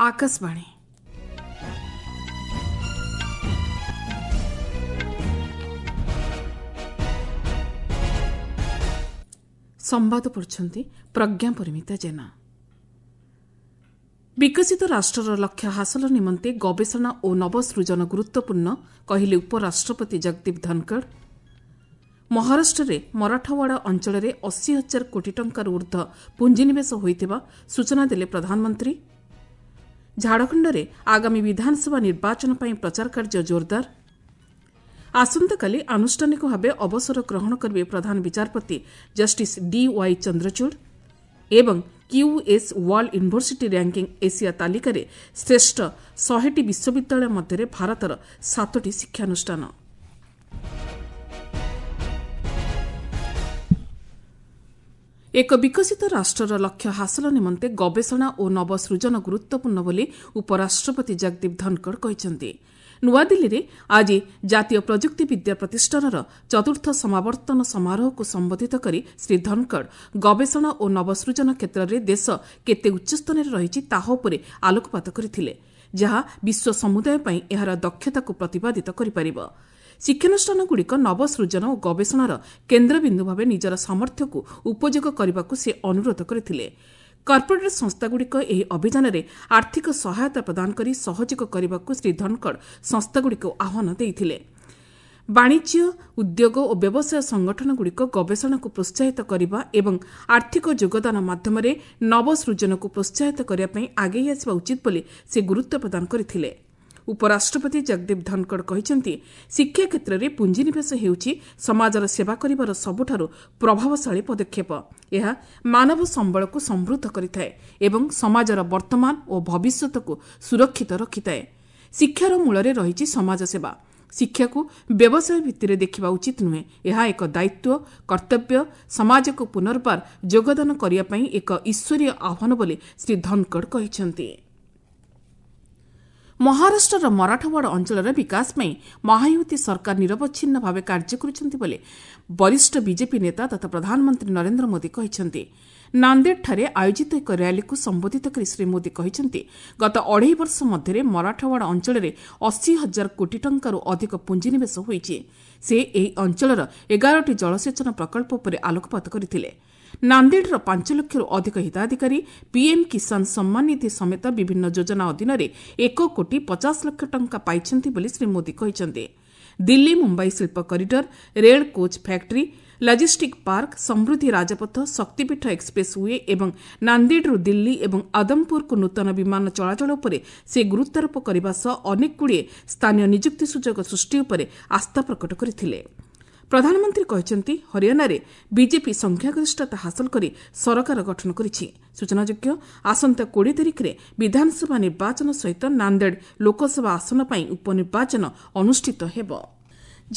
ଆକାଶବାଣୀ। ସମ୍ବାଦ ପଢୁଛନ୍ତି ପ୍ରଜ୍ଞା ପରିମିତା ଜେନା। ବିକଶିତ ରାଷ୍ଟ୍ରର ଲକ୍ଷ୍ୟ ହାସଲ ନିମନ୍ତେ ଗବେଷଣା ଓ ନବସୃଜନ ଗୁରୁତ୍ୱପୂର୍ଣ୍ଣ, କହିଲେ ଉପରାଷ୍ଟ୍ରପତି ଜଗଦୀପ ଧନଖଡ଼। ମହାରାଷ୍ଟ୍ରରେ ମରାଠାୱାଡ଼ା ଅଞ୍ଚଳରେ 80 ହଜାର କୋଟି ଟଙ୍କାରୁ ଊର୍ଦ୍ଧ୍ୱ ପୁଞ୍ଜିନିବେଶ ହୋଇଥିବା ସୂଚନା ଦେଲେ ପ୍ରଧାନମନ୍ତ୍ରୀ। ଝାଡ଼ଖଣ୍ଡରେ ଆଗାମୀ ବିଧାନସଭା ନିର୍ବାଚନ ପାଇଁ ପ୍ରଚାର କାର୍ଯ୍ୟ ଜୋରଦାର। ଆସନ୍ତାକାଲି ଆନୁଷ୍ଠାନିକ ଭାବେ ଅବସର ଗ୍ରହଣ କରିବେ ପ୍ରଧାନ ବିଚାରପତି ଜଷ୍ଟିସ୍ ଡିୱାଇ ଚନ୍ଦ୍ରଚୂଡ଼। ଏବଂ QS world university ranking Asia ତାଲିକାରେ ଶ୍ରେଷ୍ଠ 100ଟି ବିଶ୍ୱବିଦ୍ୟାଳୟ ମଧ୍ୟରେ ଭାରତର 7ଟି ଶିକ୍ଷାନୁଷ୍ଠାନ। ଏକ ବିକଶିତ ରାଷ୍ଟ୍ରର ଲକ୍ଷ୍ୟ ହାସଲ ନିମନ୍ତେ ଗବେଷଣା ଓ ନବସୃଜନ ଗୁରୁତ୍ୱପୂର୍ଣ୍ଣ ବୋଲି ଉପରାଷ୍ଟ୍ରପତି ଜଗଦୀପ ଧନଖଡ଼ କହିଛନ୍ତି। ନୂଆଦିଲ୍ଲୀରେ ଆଜି ଜାତୀୟ ପ୍ରଯୁକ୍ତି ବିଦ୍ୟା ପ୍ରତିଷ୍ଠାନର ଚତୁର୍ଥ ସମାବର୍ତ୍ତନ ସମାରୋହକୁ ସମ୍ବୋଧିତ କରି ଶ୍ରୀ ଧନଖଡ଼ ଗବେଷଣା ଓ ନବସୃଜନ କ୍ଷେତ୍ରରେ ଦେଶ କେତେ ଉଚ୍ଚସ୍ଥାନରେ ରହିଛି ତାହା ଉପରେ ଆଲୋକପାତ କରିଥିଲେ, ଯାହା ବିଶ୍ୱ ସମୁଦାୟ ପାଇଁ ଏହାର ଦକ୍ଷତାକୁ ପ୍ରତିପାଦିତ କରିପାରିବ। ଶିକ୍ଷାନୁଷ୍ଠାନଗୁଡ଼ିକ ନବସୃଜନ ଓ ଗବେଷଣାର କେନ୍ଦ୍ରବିନ୍ଦୁ ଭାବେ ନିଜର ସାମର୍ଥ୍ୟକୁ ଉପଯୋଗ କରିବାକୁ ସେ ଅନୁରୋଧ କରିଥିଲେ। କର୍ପୋରେଟ୍ ସଂସ୍ଥାଗୁଡ଼ିକ ଏହି ଅଭିଯାନରେ ଆର୍ଥିକ ସହାୟତା ପ୍ରଦାନ କରି ସହଯୋଗ କରିବାକୁ ଶ୍ରୀ ଧନଖଡ଼ ସଂସ୍ଥାଗୁଡ଼ିକୁ ଆହ୍ୱାନ ଦେଇଥିଲେ। ବାଣିଜ୍ୟ, ଉଦ୍ୟୋଗ ଓ ବ୍ୟବସାୟ ସଂଗଠନଗୁଡ଼ିକ ଗବେଷଣାକୁ ପ୍ରୋତ୍ସାହିତ କରିବା ଏବଂ ଆର୍ଥିକ ଯୋଗଦାନ ମାଧ୍ୟମରେ ନବସୃଜନକୁ ପ୍ରୋତ୍ସାହିତ କରିବା ପାଇଁ ଆଗେଇ ଆସିବା ଉଚିତ ବୋଲି ସେ ଗୁରୁତ୍ୱ ପ୍ରଦାନ କରିଥିଲେ। ଉପରାଷ୍ଟ୍ରପତି ଜଗଦୀପ ଧନଖଡ଼ କହିଛନ୍ତି, ଶିକ୍ଷା କ୍ଷେତ୍ରରେ ପୁଞ୍ଜିନିବେଶ ହେଉଛି ସମାଜର ସେବା କରିବାର ସବୁଠାରୁ ପ୍ରଭାବଶାଳୀ ପଦକ୍ଷେପ। ଏହା ମାନବ ସମ୍ବଳକୁ ସମୃଦ୍ଧ କରିଥାଏ ଏବଂ ସମାଜର ବର୍ତ୍ତମାନ ଓ ଭବିଷ୍ୟତକୁ ସୁରକ୍ଷିତ ରଖିଥାଏ। ଶିକ୍ଷାର ମୂଳରେ ରହିଛି ସମାଜସେବା। ଶିକ୍ଷାକୁ ବ୍ୟବସାୟ ଭିତ୍ତିରେ ଦେଖିବା ଉଚିତ ନୁହେଁ। ଏହା ଏକ ଦାୟିତ୍ୱ, କର୍ତ୍ତବ୍ୟ, ସମାଜକୁ ପୁନର୍ବାର ଯୋଗଦାନ କରିବା ପାଇଁ ଏକ ଈଶ୍ୱରୀୟ ଆହ୍ୱାନ ବୋଲି ଶ୍ରୀ ଧନଖଡ଼ କହିଛନ୍ତି। ମହାରାଷ୍ଟ୍ରର ମରାଠାୱାଡ଼ା ଅଞ୍ଚଳର ବିକାଶ ପାଇଁ ମହାୟୁତି ସରକାର ନିରବଚ୍ଛିନ୍ନ ଭାବେ କାର୍ଯ୍ୟ କରୁଛନ୍ତି ବୋଲି ବରିଷ୍ଠ ବିଜେପି ନେତା ତଥା ପ୍ରଧାନମନ୍ତ୍ରୀ ନରେନ୍ଦ୍ର ମୋଦି କହିଛନ୍ତି। ନାନ୍ଦେଡ଼ଠାରେ ଆୟୋଜିତ ଏକ ର୍ୟାଲିକୁ ସମ୍ବୋଧିତ କରି ଶ୍ରୀ ମୋଦି କହିଛନ୍ତି, ଗତ ଅଢ଼େଇ ବର୍ଷ ମଧ୍ୟରେ ମରାଠାୱାଡ଼ା ଅଞ୍ଚଳରେ 80 ହଜାର କୋଟି ଟଙ୍କାରୁ ଅଧିକ ପୁଞ୍ଜିନିବେଶ ହୋଇଛି। ସେ ଏହି ଅଞ୍ଚଳର 11ଟି ଜଳସେଚନ ପ୍ରକଳ୍ପ ଉପରେ ଆଲୋକପାତ କରିଥିଲେ। ନାନ୍ଦେଡ଼ର 5 ଲକ୍ଷରୁ ଅଧିକ ହିତାଧିକାରୀ ପିଏମ୍ କିଷାନ ସମ୍ମାନ ନିଧି ସମେତ ବିଭିନ୍ନ ଯୋଜନା ଅଧୀନରେ 1 କୋଟି 50 ଲକ୍ଷ ଟଙ୍କା ପାଇଛନ୍ତି ବୋଲି ଶ୍ରୀ ମୋଦି କହିଛନ୍ତି। ଦିଲ୍ଲୀ ମୁମ୍ବାଇ ଶିଳ୍ପ କରିଡର, ରେଳ କୋଚ୍ ଫ୍ୟାକ୍ଟ୍ରି, ଲଜିଷ୍ଟିକ୍ ପାର୍କ, ସମୃଦ୍ଧି ରାଜପଥ, ଶକ୍ତିପୀଠ ଏକ୍ସପ୍ରେସ୍ we ଏବଂ ନାନ୍ଦେଡ଼ରୁ ଦିଲ୍ଲୀ ଏବଂ ଆଦମପୁରକୁ ନୂତନ ବିମାନ ଚଳାଚଳ ଉପରେ ସେ ଗୁରୁତ୍ୱାରୋପ କରିବା ସହ ଅନେକଗୁଡ଼ିଏ ସ୍ଥାନୀୟ ନିଯୁକ୍ତି ସୁଯୋଗ ସୃଷ୍ଟି ଉପରେ ଆସ୍ଥା ପ୍ରକଟ କରିଥିଲେ। ପ୍ରଧାନମନ୍ତ୍ରୀ କହିଛନ୍ତି, ହରିୟାଣାରେ ବିଜେପି ସଂଖ୍ୟାଗରିଷ୍ଠତା ହାସଲ କରି ସରକାର ଗଠନ କରିଛି। ସୂଚନାଯୋଗ୍ୟ, ଆସନ୍ତା 20 ତାରିଖରେ ବିଧାନସଭା ନିର୍ବାଚନ ସହିତ ନାନ୍ଦେଡ଼ ଲୋକସଭା ଆସନ ପାଇଁ ଉପନିର୍ବାଚନ ଅନୁଷ୍ଠିତ ହେବ।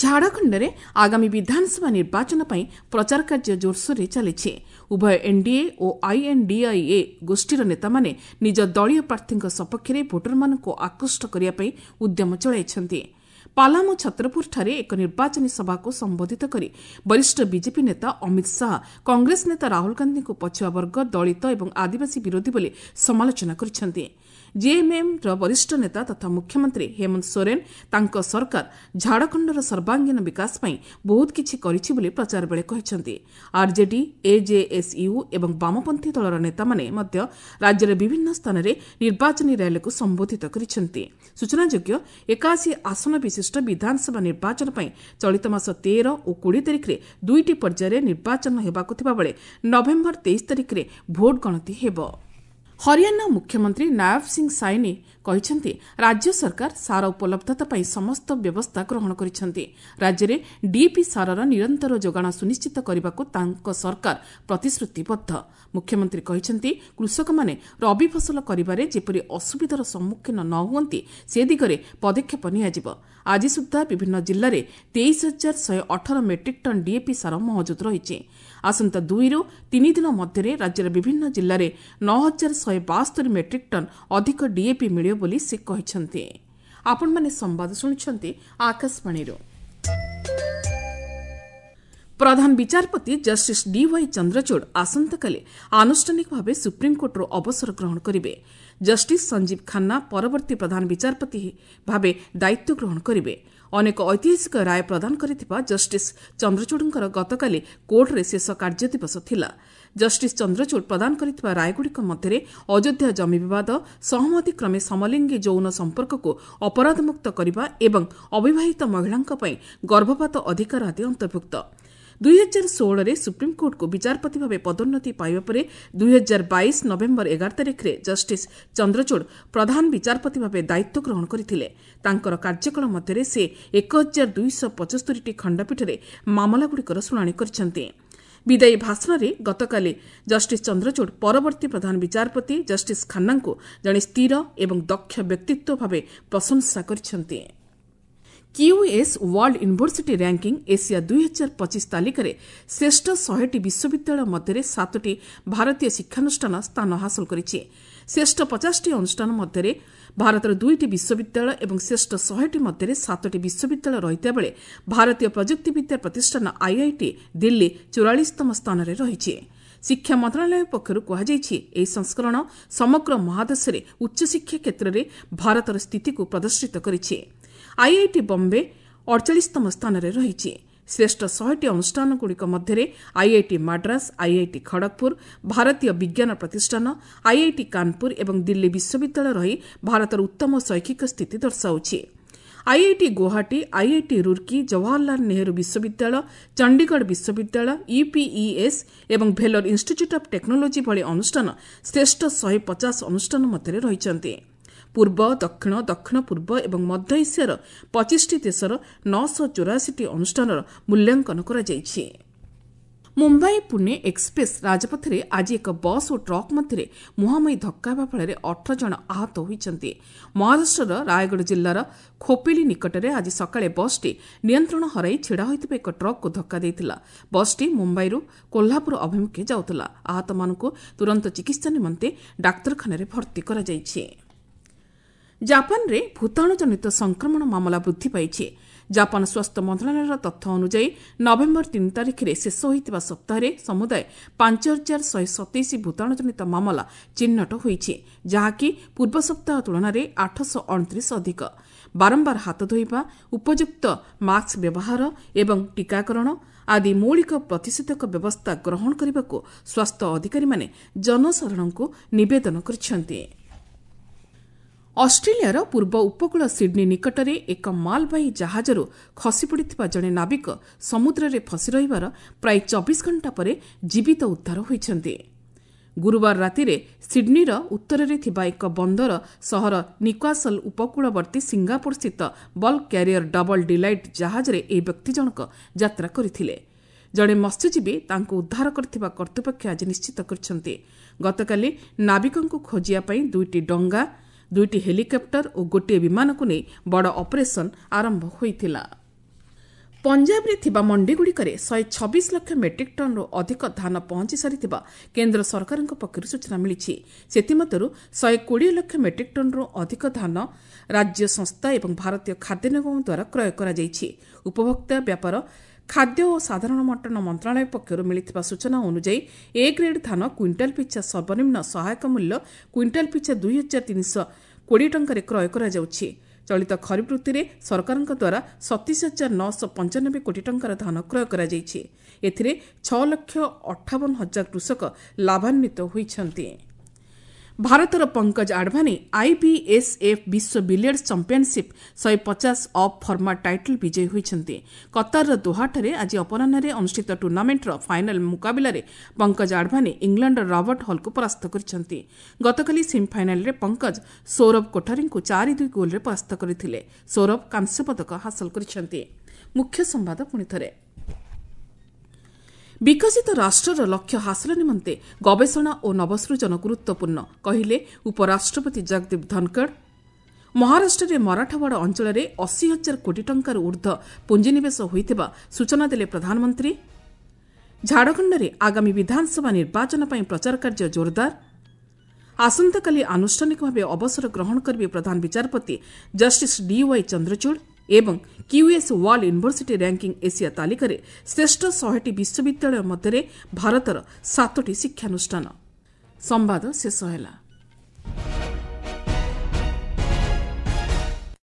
ଝାଡ଼ଖଣ୍ଡରେ ଆଗାମୀ ବିଧାନସଭା ନିର୍ବାଚନ ପାଇଁ ପ୍ରଚାର କାର୍ଯ୍ୟ ଜୋରସୋରରେ ଚାଲିଛି। ଉଭୟ ଏନ୍ଡିଏ ଓ ଆଇଏନ୍ଡିଆଇଏ ଗୋଷ୍ଠୀର ନେତାମାନେ ନିଜ ଦଳୀୟ ପ୍ରାର୍ଥୀଙ୍କ ସପକ୍ଷରେ ଭୋଟରମାନଙ୍କୁ ଆକୃଷ୍ଟ କରିବା ପାଇଁ ଉଦ୍ୟମ ଚଳାଇଛନ୍ତି। ପାଲାମୁ ଛତ୍ରପୁରଠାରେ ଏକ ନିର୍ବାଚନୀ ସଭାକୁ ସମ୍ବୋଧିତ କରି ବରିଷ୍ଠ ବିଜେପି ନେତା ଅମିତ ଶାହା କଂଗ୍ରେସ ନେତା ରାହୁଲ ଗାନ୍ଧୀଙ୍କୁ ପଛୁଆ ବର୍ଗ, ଦଳିତ ଏବଂ ଆଦିବାସୀ ବିରୋଧୀ ବୋଲି ସମାଲୋଚନା କରିଛନ୍ତି। ଜେଏମ୍ଏମ୍ର ବରିଷ୍ଠ ନେତା ତଥା ମୁଖ୍ୟମନ୍ତ୍ରୀ ହେମନ୍ତ ସୋରେନ୍ ତାଙ୍କ ସରକାର ଝାଡ଼ଖଣ୍ଡର ସର୍ବାଙ୍ଗୀନ ବିକାଶ ପାଇଁ ବହୁତ କିଛି କରିଛି ବୋଲି ପ୍ରଚାର ବେଳେ କହିଛନ୍ତି। ଆର୍ଜେଡି, ଏଜେଏସ୍ୟୁ ଏବଂ ବାମପନ୍ଥୀ ଦଳର ନେତାମାନେ ମଧ୍ୟ ରାଜ୍ୟର ବିଭିନ୍ନ ସ୍ଥାନରେ ନିର୍ବାଚନୀ ର୍ୟାଲିକୁ ସମ୍ବୋଧିତ କରିଛନ୍ତି। ସୂଚନାଯୋଗ୍ୟ, 81 ଆସନ ବିଶିଷ୍ଟ ବିଧାନସଭା ନିର୍ବାଚନ ପାଇଁ ଚଳିତ ମାସ 13 ଓ 20 ତାରିଖରେ ଦୁଇଟି ପର୍ଯ୍ୟାୟରେ ନିର୍ବାଚନ ହେବାକୁ ଥିବାବେଳେ ନଭେମ୍ବର 23 ତାରିଖରେ ଭୋଟ ଗଣତି ହେବ। ହରିୟାଣା ମୁଖ୍ୟମନ୍ତ୍ରୀ ନାୟବ ସିଂ ସାଇନି କହିଛନ୍ତି, ରାଜ୍ୟ ସରକାର ସାର ଉପଲବ୍ଧତା ପାଇଁ ସମସ୍ତ ବ୍ୟବସ୍ଥା ଗ୍ରହଣ କରିଛନ୍ତି। ରାଜ୍ୟରେ ଡିଏପି ସାରର ନିରନ୍ତର ଯୋଗାଣ ସୁନିଶ୍ଚିତ କରିବାକୁ ତାଙ୍କ ସରକାର ପ୍ରତିଶ୍ରୁତିବଦ୍ଧ। ମୁଖ୍ୟମନ୍ତ୍ରୀ କହିଛନ୍ତି, କୃଷକମାନେ ରବି ଫସଲ କରିବାରେ ଯେପରି ଅସୁବିଧାର ସମ୍ମୁଖୀନ ନ ହୁଅନ୍ତି ସେ ଦିଗରେ ପଦକ୍ଷେପ ନିଆଯିବ। ଆଜି ସୁଦ୍ଧା ବିଭିନ୍ନ ଜିଲ୍ଲାରେ 23,118 ମେଟ୍ରିକ୍ ଟନ୍ ଡିଏପି ସାର ମହଜୁଦ ରହିଛି। ଆସନ୍ତା 2ରୁ 3 ଦିନ ମଧ୍ୟରେ ରାଜ୍ୟର ବିଭିନ୍ନ ଜିଲ୍ଲାରେ 9,172 ମେଟ୍ରିକ୍ ଟନ୍ ଅଧିକ ଡିଏପି ମିଳିବ ବୋଲି ସେ କହିଛନ୍ତି। ଆପଣମାନେ ସମ୍ବାଦ ଶୁଣୁଛନ୍ତି ଆକାଶବାଣୀରୁ। ପ୍ରଧାନ ବିଚାରପତି ଜଷ୍ଟିସ୍ ଡିୱାଇ ଚନ୍ଦ୍ରଚୂଡ଼ ଆସନ୍ତାକାଲି ଆନୁଷ୍ଠାନିକ ଭାବେ ସୁପ୍ରିମକୋର୍ଟରୁ ଅବସର ଗ୍ରହଣ କରିବେ। ଜଷ୍ଟିସ୍ ସଞ୍ଜୀବ ଖାନ୍ନା ପରବର୍ତ୍ତୀ ପ୍ରଧାନ ବିଚାରପତି ଭାବେ ଦାୟିତ୍ୱ ଗ୍ରହଣ କରିବେ। ଅନେକ ଐତିହାସିକ ରାୟ ପ୍ରଦାନ କରିଥିବା ଜଷ୍ଟିସ୍ ଚନ୍ଦ୍ରଚୂଡ଼ଙ୍କର ଗତକାଲି କୋର୍ଟରେ ଶେଷ କାର୍ଯ୍ୟଦିବସ ଥିଲା। ଜଷ୍ଟିସ୍ ଚନ୍ଦ୍ରଚୂଡ଼ ପ୍ରଦାନ କରିଥିବା ରାୟଗୁଡ଼ିକ ମଧ୍ୟରେ ଅଯୋଧ୍ୟା ଜମି ବିବାଦ, ସହମତିକ୍ରମେ ସମଲିଙ୍ଗୀ ଯୌନ ସମ୍ପର୍କକୁ ଅପରାଧମୁକ୍ତ କରିବା ଏବଂ ଅବିବାହିତ ମହିଳାଙ୍କ ପାଇଁ ଗର୍ଭପାତ ଅଧିକାର ଆଦି ଅନ୍ତର୍ଭୁକ୍ତ। 2016ରେ ସୁପ୍ରିମକୋର୍ଟକୁ ବିଚାରପତି ଭାବେ ପଦୋନ୍ନତି ପାଇବା ପରେ 2022 ନଭେମ୍ବର 11 ତାରିଖରେ ଜଷ୍ଟିସ୍ ଚନ୍ଦ୍ରଚୂଡ଼ ପ୍ରଧାନ ବିଚାରପତି ଭାବେ ଦାୟିତ୍ୱ ଗ୍ରହଣ କରିଥିଲେ। ତାଙ୍କର କାର୍ଯ୍ୟକାଳ ମଧ୍ୟରେ ସେ 1275ଟି ଖଣ୍ଡପୀଠରେ ମାମଲାଗୁଡ଼ିକର ଶୁଣାଣି କରିଛନ୍ତି। ବିଦାୟୀ ଭାଷଣରେ ଗତକାଲି ଜଷ୍ଟିସ୍ ଚନ୍ଦ୍ରଚୂଡ଼ ପରବର୍ତ୍ତୀ ପ୍ରଧାନ ବିଚାରପତି ଜଷ୍ଟିସ୍ ଖାନ୍ନାଙ୍କୁ ଜଣେ ସ୍ଥିର ଏବଂ ଦକ୍ଷ ବ୍ୟକ୍ତିତ୍ୱ ଭାବେ ପ୍ରଶଂସା କରିଛନ୍ତି। QS world university ranking Asia 2025 ତାଲିକାରେ ଶ୍ରେଷ୍ଠ 100ଟି ବିଶ୍ୱବିଦ୍ୟାଳୟ ମଧ୍ୟରେ 7ଟି ଭାରତୀୟ ଶିକ୍ଷାନୁଷ୍ଠାନ ସ୍ଥାନ ହାସଲ କରିଛି। ଶ୍ରେଷ୍ଠ 50ଟି ଅନୁଷ୍ଠାନ ମଧ୍ୟରେ ଭାରତର 2ଟି ବିଶ୍ୱବିଦ୍ୟାଳୟ ଏବଂ ଶ୍ରେଷ୍ଠ 100ଟି ମଧ୍ୟରେ 7ଟି ବିଶ୍ୱବିଦ୍ୟାଳୟ ରହିଥିବା ବେଳେ ଭାରତୀୟ ପ୍ରଯୁକ୍ତିବିଦ୍ୟା ପ୍ରତିଷ୍ଠାନ ଆଇଆଇଟି ଦିଲ୍ଲୀ 44ତମ ସ୍ଥାନରେ ରହିଛି। ଶିକ୍ଷା ମନ୍ତ୍ରଣାଳୟ ପକ୍ଷରୁ କୁହାଯାଇଛି, ଏହି ସଂସ୍କରଣ ସମଗ୍ର ମହାଦେଶରେ ଉଚ୍ଚଶିକ୍ଷା କ୍ଷେତ୍ରରେ ଭାରତର ସ୍ଥିତିକୁ ପ୍ରଦର୍ଶିତ କରିଛି। ଆଇଆଇଟି ବମ୍ବେ 48ତମ ସ୍ଥାନରେ ରହିଛି। ଶ୍ରେଷ୍ଠ 100ଟି ଅନୁଷ୍ଠାନଗୁଡ଼ିକ ମଧ୍ୟରେ ଆଇଆଇଟି ମାଡ୍ରାସ, ଆଇଆଇଟି ଖଡ଼ଗପୁର, ଭାରତୀୟ ବିଜ୍ଞାନ ପ୍ରତିଷ୍ଠାନ, ଆଇଆଇଟି କାନପୁର ଏବଂ ଦିଲ୍ଲୀ ବିଶ୍ୱବିଦ୍ୟାଳୟ ରହି ଭାରତର ଉତ୍ତମ ଶୈକ୍ଷିକ ସ୍ଥିତି ଦର୍ଶାଉଛି। ଆଇଆଇଟି ଗୁଆହାଟୀ, ଆଇଆଇଟି ରୁର୍କି, ଜବାହରଲାଲ ନେହେରୁ ବିଶ୍ୱବିଦ୍ୟାଳୟ, ଚଣ୍ଡିଗଡ଼ ବିଶ୍ୱବିଦ୍ୟାଳୟ, ୟୁପିଇଏସ୍ ଏବଂ ଭେଲୋର ଇନ୍ଷ୍ଟିଚ୍ୟୁଟ୍ ଅଫ୍ ଟେକ୍ନୋଲୋଜି ଭଳି ଅନୁଷ୍ଠାନ ଶ୍ରେଷ୍ଠ 150 ଅନୁଷ୍ଠାନ ମଧ୍ୟରେ ରହିଛନ୍ତି। ପୂର୍ବ, ଦକ୍ଷିଣ, ଦକ୍ଷିଣ ପୂର୍ବ ଏବଂ ମଧ୍ୟ ଏସିଆର 25ଟି ଦେଶର 984ଟି ଅନୁଷ୍ଠାନର ମୂଲ୍ୟାଙ୍କନ କରାଯାଇଛି। ମୁମ୍ବାଇ ପୁନେ ଏକ୍ସପ୍ରେସ୍ ରାଜପଥରେ ଆଜି ଏକ ବସ୍ ଓ ଟ୍ରକ୍ ମଧ୍ୟରେ ମୁହାଁମୁହିଁ ଧକ୍କା ହେବା ଫଳରେ 18 ଜଣ ଆହତ ହୋଇଛନ୍ତି। ମହାରାଷ୍ଟ୍ରର ରାୟଗଡ଼ ଜିଲ୍ଲାର ଖୋପେଲି ନିକଟରେ ଆଜି ସକାଳେ ବସ୍ଟି ନିୟନ୍ତ୍ରଣ ହରାଇ ଛିଡ଼ା ହୋଇଥିବା ଏକ ଟ୍ରକ୍କୁ ଧକ୍କା ଦେଇଥିଲା। ବସ୍ଟି ମୁମ୍ବାଇରୁ କୋହ୍ଲାପୁର ଅଭିମୁଖେ ଯାଉଥିଲା। ଆହତମାନଙ୍କୁ ତୁରନ୍ତ ଚିକିତ୍ସା ନିମନ୍ତେ ଡାକ୍ତରଖାନାରେ ଭର୍ତ୍ତି କରାଯାଇଛି। ଜାପାନରେ ଭୂତାଣୁଜନିତ ସଂକ୍ରମଣ ମାମଲା ବୃଦ୍ଧି ପାଇଛି। ଜାପାନ ସ୍ୱାସ୍ଥ୍ୟ ମନ୍ତ୍ରଣାଳୟର ତଥ୍ୟ ଅନୁଯାୟୀ ନଭେମ୍ବର 3 ତାରିଖରେ ଶେଷ ହୋଇଥିବା ସପ୍ତାହରେ ସମୁଦାୟ 5127 ଭୂତାଣୁଜନିତ ମାମଲା ଚିହ୍ନଟ ହୋଇଛି, ଯାହାକି ପୂର୍ବ ସପ୍ତାହ ତୁଳନାରେ 829 ଅଧିକ। ବାରମ୍ବାର ହାତ ଧୋଇବା, ଉପଯୁକ୍ତ ମାସ୍କ ବ୍ୟବହାର ଏବଂ ଟିକାକରଣ ଆଦି ମୌଳିକ ପ୍ରତିଷେଧକ ବ୍ୟବସ୍ଥା ଗ୍ରହଣ କରିବାକୁ ସ୍ୱାସ୍ଥ୍ୟ ଅଧିକାରୀମାନେ ଜନସାଧାରଣଙ୍କୁ ନିବେଦନ କରିଛନ୍ତି। ଅଷ୍ଟ୍ରେଲିଆର ପୂର୍ବ ଉପକୂଳ ସିଡ୍ନୀ ନିକଟରେ ଏକ ମାଲବାହୀ ଜାହାଜରୁ ଖସିପଡ଼ିଥିବା ଜଣେ ନାବିକ ସମୁଦ୍ରରେ ଫସି ରହିବାର ପ୍ରାୟ 24 ଘଣ୍ଟା ପରେ ଜୀବିତ ଉଦ୍ଧାର ହୋଇଛନ୍ତି। ଗୁରୁବାର ରାତିରେ ସିଡ୍ନୀର ଉତ୍ତରରେ ଥିବା ଏକ ବନ୍ଦର ସହର ନିକ୍ୱାସଲ ଉପକୂଳବର୍ତ୍ତୀ ସିଙ୍ଗାପୁରସ୍ଥିତ ବଲ୍କ କ୍ୟାରିୟର ଡବଲ ଡିଲାଇଟ୍ ଜାହାଜରେ ଏହି ବ୍ୟକ୍ତି ଜଣକ ଯାତ୍ରା କରିଥିଲେ। ଜଣେ ମତ୍ସ୍ୟଜୀବୀ ତାଙ୍କୁ ଉଦ୍ଧାର କରିଥିବା କର୍ତ୍ତୃପକ୍ଷ ଆଜି ନିଶ୍ଚିତ କରିଛନ୍ତି। ଗତକାଲି ନାବିକଙ୍କୁ ଖୋଜିବା ପାଇଁ 2ଟି ଡଙ୍ଗା, 2ଟି ହେଲିକପ୍ଟର ଓ ଗୋଟିଏ ବିମାନକୁ ନେଇ ବଡ଼ ଅପରେସନ୍ ଆରମ୍ଭ ହୋଇଥିଲା। ପଞ୍ଜାବରେ ଥିବା ମଣ୍ଡିଗୁଡ଼ିକରେ 126 ଲକ୍ଷ ମେଟ୍ରିକ୍ ଟନ୍ରୁ ଅଧିକ ଧାନ ପହଞ୍ଚି ସାରିଥିବା କେନ୍ଦ୍ର ସରକାରଙ୍କ ପକ୍ଷରୁ ସୂଚନା ମିଳିଛି। ସେଥିମଧ୍ୟରୁ 120 ଲକ୍ଷ ମେଟ୍ରିକ୍ ଟନ୍ରୁ ଅଧିକ ଧାନ ରାଜ୍ୟ ସଂସ୍ଥା ଏବଂ ଭାରତୀୟ ଖାଦ୍ୟ ନିଗମ ଦ୍ୱାରା କ୍ରୟ କରାଯାଇଛି। ଉପଭୋକ୍ତା ବ୍ୟାପାର, ଖାଦ୍ୟ ଓ ସାଧାରଣ ବଣ୍ଟନ ମନ୍ତ୍ରଣାଳୟ ପକ୍ଷରୁ ମିଳିଥିବା ସୂଚନା ଅନୁଯାୟୀ ଏ ଗ୍ରେଡ୍ ଧାନ କ୍ୱିଣ୍ଟାଲ ପିଛା ସର୍ବନିମ୍ନ ସହାୟକ ମୂଲ୍ୟ କ୍ୱିଣ୍ଟାଲ ପିଛା 2320 ଟଙ୍କାରେ କ୍ରୟ କରାଯାଉଛି। ଚଳିତ ଖରିଫ ଋତୁରେ ସରକାରଙ୍କ ଦ୍ୱାରା 27,995 କୋଟି ଟଙ୍କାର ଧାନ କ୍ରୟ କରାଯାଇଛି। ଏଥିରେ 6,58,000 କୃଷକ ଲାଭାନ୍ୱିତ ହୋଇଛନ୍ତି। ଭାରତର ପଙ୍କଜ ଆଡଭାନୀ ଆଇବିଏସ୍ଏଫ୍ ବିଶ୍ୱ ବିଲିୟର୍ଡସ୍ ଚାମ୍ପିୟନସିପ୍ 150 ଅପ୍ ଫର୍ମାଟ୍ ଟାଇଟଲ୍ ବିଜୟୀ ହୋଇଛନ୍ତି। କତାରର ଦୋହାଠାରେ ଆଜି ଅପରାହ୍ନରେ ଅନୁଷ୍ଠିତ ଟୁର୍ଣ୍ଣାମେଣ୍ଟର ଫାଇନାଲ୍ ମୁକାବିଲାରେ ପଙ୍କଜ ଆଡଭାନୀ ଇଂଲଣ୍ଡର ରବର୍ଟ ହଲ୍କୁ ପରାସ୍ତ କରିଛନ୍ତି। ଗତକାଲି ସେମିଫାଇନାଲ୍ରେ ପଙ୍କଜ ସୌରଭ କୋଠାରୀଙ୍କୁ 4-2 ଗୋଲ୍ରେ ପରାସ୍ତ କରିଥିଲେ। ସୌରଭ କାଂସ୍ୟ ପଦକ ହାସଲ କରିଛନ୍ତି। ମୁଖ୍ୟ ସମ୍ବାଦ ପୁଣିଥରେ। ବିକଶିତ ରାଷ୍ଟ୍ରର ଲକ୍ଷ୍ୟ ହାସଲ ନିମନ୍ତେ ଗବେଷଣା ଓ ନବସୃଜନ ଗୁରୁତ୍ୱପୂର୍ଣ୍ଣ, କହିଲେ ଉପରାଷ୍ଟ୍ରପତି ଜଗଦୀପ ଧନଖଡ଼। ମହାରାଷ୍ଟ୍ରରେ ମରାଠାୱାଡ଼ା ଅଞ୍ଚଳରେ 80,000 କୋଟି ଟଙ୍କାରୁ ଉର୍ଦ୍ଧ୍ୱ ପୁଞ୍ଜିନିବେଶ ହୋଇଥିବା ସୂଚନା ଦେଲେ ପ୍ରଧାନମନ୍ତ୍ରୀ। ଝାଡ଼ଖଣ୍ଡରେ ଆଗାମୀ ବିଧାନସଭା ନିର୍ବାଚନ ପାଇଁ ପ୍ରଚାର କାର୍ଯ୍ୟ ଜୋରଦାର। ଆସନ୍ତାକାଲି ଆନୁଷ୍ଠାନିକ ଭାବେ ଅବସର ଗ୍ରହଣ କରିବେ ପ୍ରଧାନ ବିଚାରପତି ଜଷ୍ଟିସ୍ ଡିୱାଇ ଚନ୍ଦ୍ରଚୂଡ଼ ଏବଂ QS world university ranking Asia ତାଲିକାରେ ଶ୍ରେଷ୍ଠ 100ଟି ବିଶ୍ୱବିଦ୍ୟାଳୟ ମଧ୍ୟରେ ଭାରତର 7ଟି ଶିକ୍ଷାନୁଷ୍ଠାନ। ସମ୍ବାଦ ଶେଷ ହେଲା।